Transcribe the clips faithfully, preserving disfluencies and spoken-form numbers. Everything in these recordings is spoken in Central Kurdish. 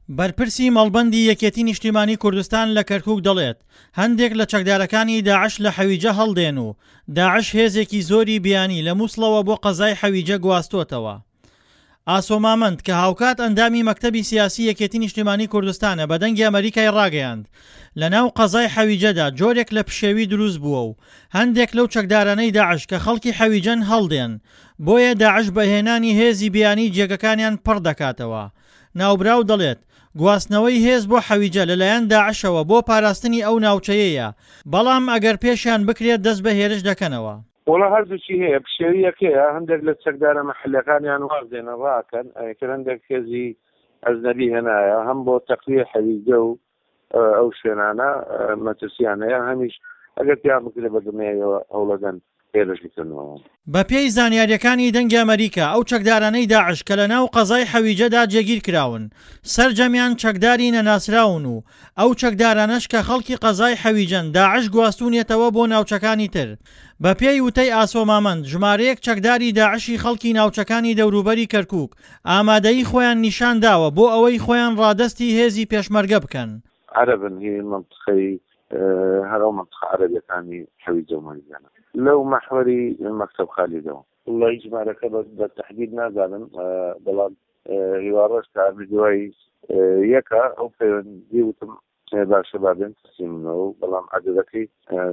بەرپرسی مەڵبەندی یەکێتی نیشتیمانی کوردستان لە کەرکوک دەڵێت، هەندێک لە چەکدارەکانی داعش لە حەویجە هەڵدێن و داعش هێزێکی زۆری بیانی لە موسڵەوە بۆ قەزای حەویجە گواستۆتەوە. ئاسۆ مامەند کە هاوکات ئەندامی مەکتەبی سیاسی یەکێتی نیشتیمانی کوردستانە بە دەنگی ئەمەریکای ڕاگەیاند لەناو قەزای حەویجەدا جۆرێک لە پشێوی دروست بووە و هەندێک لەو چەکدارانەی داعش کە خەڵکی حەویجەن هەڵدێن بۆیە داعش بە هێنانی هێزی بیانی جێگەکانیان پڕ دەکاتەوە. ناوبراو دەڵێت گواستنەوەی هێز بۆ حەویجە لەلایەن داعشەوە بۆ پاراستنی ئەو ناوچەیەیە، بەڵام ئەگەر پێشیان بکرێت دەست بە هێرش دەکەنەوە. وەڵا هەردووکی هەیە، پشێوییەک هەیە، هەندێک لە چەکدارە مەحەلیەکانیان واز دێنن ڕاکەن، ئەیتر هەندێک هێزی ئەجنەبی هێنایە هەم بۆ تەقویە حەویجە و ئەو شوێنانە مەترسیان هەیە، هەمیش ئەگەر پێیان بکرێت بە دڵنیاییەوە هەوڵەدەن هێرش بکەنەوە. بەپێی زانیارییەکانی دەنگی ئەمەریکا، ئەو چەکدارانەی داعش کە لەناو قەزای حەویجەدا جێگیرکراون، سەرجەمیان چەکداری نەناسراون و ئەو چەکدارانەش کە خەڵکی قەزای حەویجەن داعش گواستوونیەتەوە بۆ ناوچەکانی تر. بەپێی وتەی ئاسۆ مامەند، ژمارەیەک چەکداری داعشی خەڵکی ناوچەکانی دەوروبەری کەرکوک ئامادەیی خۆیان نیشانداوە بۆ ئەوەی خۆیان ڕادەستی هێزی پێشمەرگە بکەن. عەرەبن هی مەنتقەی هەر ئەو مەنتقە عەرەبیەکانی حەویجە و مەرجانە لەو مەحوەری مەکتەب خالیدەوە. وەڵایی ژمارەکە بە تەحدید نازانم بەڵام هیوا ڕەش کە ئەمیر دوای یەکە ئەو پەیوەندی وتم باشە با بێن تەسلیمنەوە بەڵام عەدەدەکەی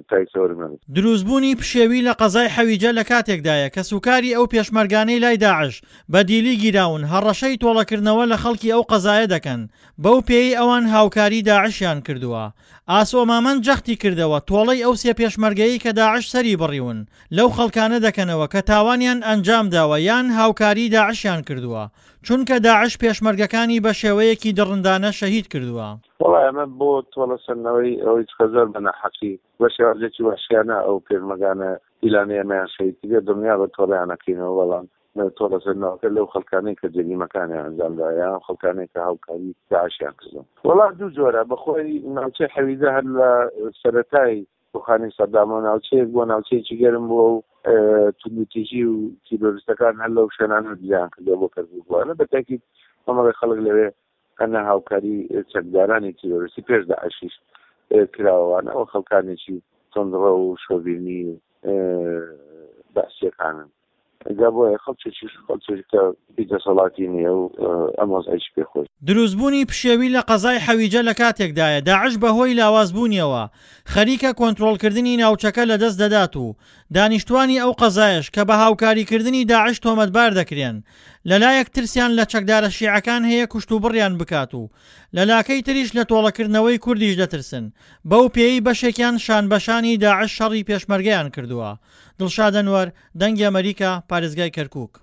تا ئیسە وەرم نەگرتووە. دروستبوونی پشێوی لە قەزای حەویجە لە کاتێکدایە کەسوکاری ئەو پێشمەرگانەی لای داعش بە دیلی گیراون هەڕەشەی تۆڵەکردنەوە لە خەڵکی ئەو قەزایە دەکەن بەو پێیەی ئەوان هاوکاری داعشیان کردووە. ئاسۆ مامەند جەختی کردەوە تۆڵەی ئەو سێ پێشمەرگەیەی کە داعش سەری بڕیون لەو خەڵکانە دەکەنەوە کە تاوانیان ئەنجامداوە یان هاوکاری داعشیان کردووە چونکە داعش پێشمەرگەکانی بە شێوەیەکی دڕندانە شەهید کردووە. وەڵا ئەمە بۆ تۆڵە سەندنەوەی ئەوەی چکە زۆر بە ناحەقی بە شێوازێکی وەحشیانە ئەو پێشمەگانە پیلانەی ئێمەیان شەهید کردیە دڵنیابە تۆڵەیان ئەکەینەوە بەڵام تۆڵە سەندنەوەکە لەو خەڵکانەی کە جەریمەکانیان ئەنجام داوە یان ئەو خەڵکانەی کە هاوکاری داعشیان کردوە. وەڵا دوو جۆرە بەخۆی ناوچەی حەویجە هەر لە سەرەتای ڕوخانی سەدامەوە ناوچەیەک بووە ناوچەیەکی گەرم بووە و توندوتیژی و تیرۆریستەکان هەر لەو شوێنانە دزیان کردووە بۆ کەرکوک بووە بە تاکید کۆمەڵی خەڵک لەوێ هەنە هاوکاری چەکدارانی تیرۆریستی پێش داعشیش کراوەوانە ئەو خەڵکانێکی توندڕە و شۆڤینی بەعسیەکانن جا بۆیە خەڵکێکیش خەڵکێک کە هیچ دەسەڵاتی نییە و ئەم وەزعەیشی پێ خۆش. دروستبوونی پشێوی لە قەزای حەویجە لە کاتێکدایە داعش بەهۆی لاوازبوونیەوە خەریکە کۆنترۆڵکردنی ناوچەکە لەدەست دەدات و دانیشتوانی ئەو قەزایەش کە بە هاوکاریکردنی داعش تۆمەتبار دەکرێن لەلایەک ترسیان لە چەکدارە شیعەکان هەیە کوشتوبڕیان بکات و لەلاکەی تریش لە تۆڵەکردنەوەی کوردیش دەترسن بەو پێیەی بەشێکیان شانبەشانی داعش شەڕی پێشمەرگەیان کردووە. دڵشاد ئەنوەر، دەنگی ئەمەریکا، پارێزگای کەرکوک.